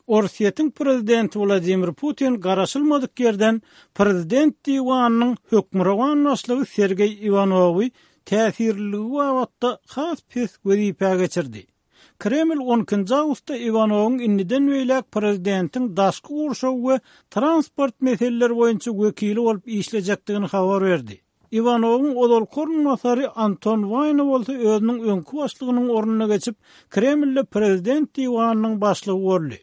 Orsýetiň prezidenti Wladimir Putin garaşylmadyk ýerden prezident diwanynyň hökmürowan başlygy Sergeý Iwanowy täsirliligi babatda has pes wezipä geçirdi. Kreml on ikinji awgustda Iwanowyň indiden beýläk prezidentiň daşky gurşaw we transport meseleleri boýunça wekili bolup işlejekdigini habar berdi. Iwanowyň ozalky orunbasary Anton Waýna bolsa özüniň öňki başlygynyň ornuna geçip, Kremlde prezident diwanynyň başlygy boldy.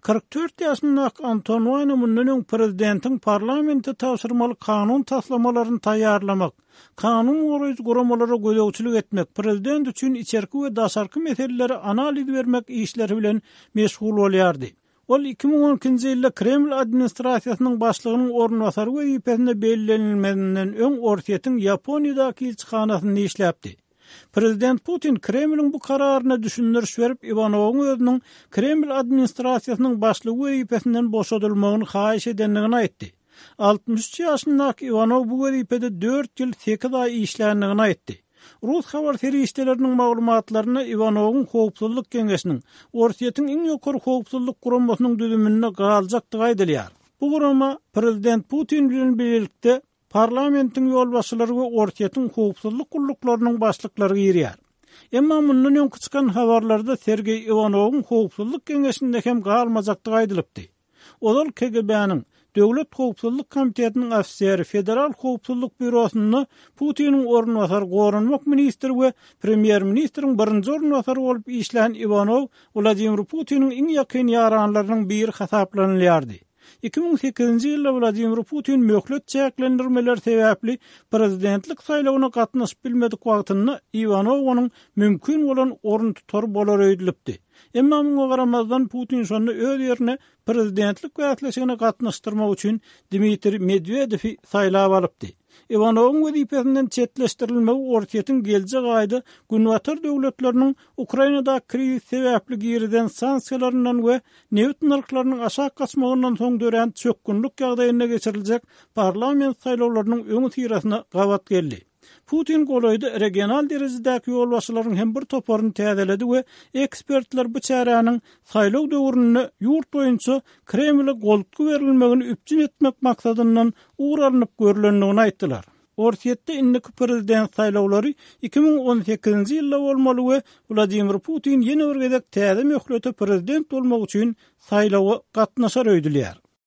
44 ýaşyndaky Anton Waýna mundan öň prezidentiň parlamente tabşyrmaly kanun taslamalaryny taýýarlamak, kanun goraýjy guramalara gözegçilik etmek, prezident üçin içerki we daşarky meselelere analiz bermek işleri bilen meşgul bolýardy. Ol 2012-nji ýylda Kreml administrasiýasynyň başlygynyň orunbasary wezipesine bellenilmezinden öň Orsýetiň Ýaponiýadaky ilçihanasynda işläpdi. Prezident Putin Kremliň bu kararyna düşündiriş berip, Iwanowyň özüniň Kreml administrasiýasynyň başlygy wezipesinden boşadylmagyny haýyş edendigini aýtdy. 63 ýaşyndaky Iwanow bu wezipede dört ýyl sekiz aý işländigini aýtdy. Rus habar serişdeleriniň maglumatlarynda Iwanowyň Howpsuzlyk geňeşiniň, Orsýetiň iň ýokary howpsuzlyk guramasynyň düzüminde galjakdygy aýdylýar. Bu gurama prezident Putin bilen bilelikde parlamentiň ýolbaşçylary we Orsýetiň howpsuzlyk gulluklarynyň başlyklary girýär. Emma mundan öňki çykan habarlarda Sergeý Iwanowyň Howpsuzlyk geňeşinde hem galmajakdygy aýdylypdy. Ozal KGB-niň, Döwlet howpsuzlyk komitetiniň ofiseri, Federal howpsuzlyk býurosynda Putiniň orunbasary, goranmak ministri we premýer-ministriň birinji orunbasary bolup işlän Iwanow Wladimir Putiniň iň ýakyn ýaranlarynyň biri hasaplanylýardy. 2008-nji ýylda Wladimir Putin möhlet çäklendirmeleri sebäpli prezidentlik saýlawyna gatnaşyp bilmedik wagtynda Iwanow onuň mümkin bolan oruntutary bolar öýdülipdi. Emma muňa garamazdan, Putin şonda öz ýerine prezidentlik bäsleşigine gatnaşdyrmak üçin Dmitriý Medwedewi saýlap alypdy. Iwanowyň wezipesinden çetleşdirilmegi Orsýetiň geljek aýda Günbatar döwletleriniň Ukrainadaky krizis sebäpli girizen sanksiýalaryndan we nebit nyrhlarynyň aşak gaçmagyndan soň dörän çökgünlik ýagdaýynda geçiriljek parlament saýlawlarynyň öňüsyrasyna gabat geldi. Putin golaýda regional derejedäki ýolbaşçylaryň hem bir toparyny täzeledi we ekspertler bu çäräniň saýlaw döwründe ýurt boýunça Kremle goltgy berilmegini üpjün etmek maksadyndan ugur alnyp görlendigini aýtdylar. Orsýetde indiki prezident saýlawlary 2018-nji ýylda bolmaly we Wladimir Putin ýene bir gezek täze möhlete prezident bolmak üçin saýlawa gatnaşar öýdülýär.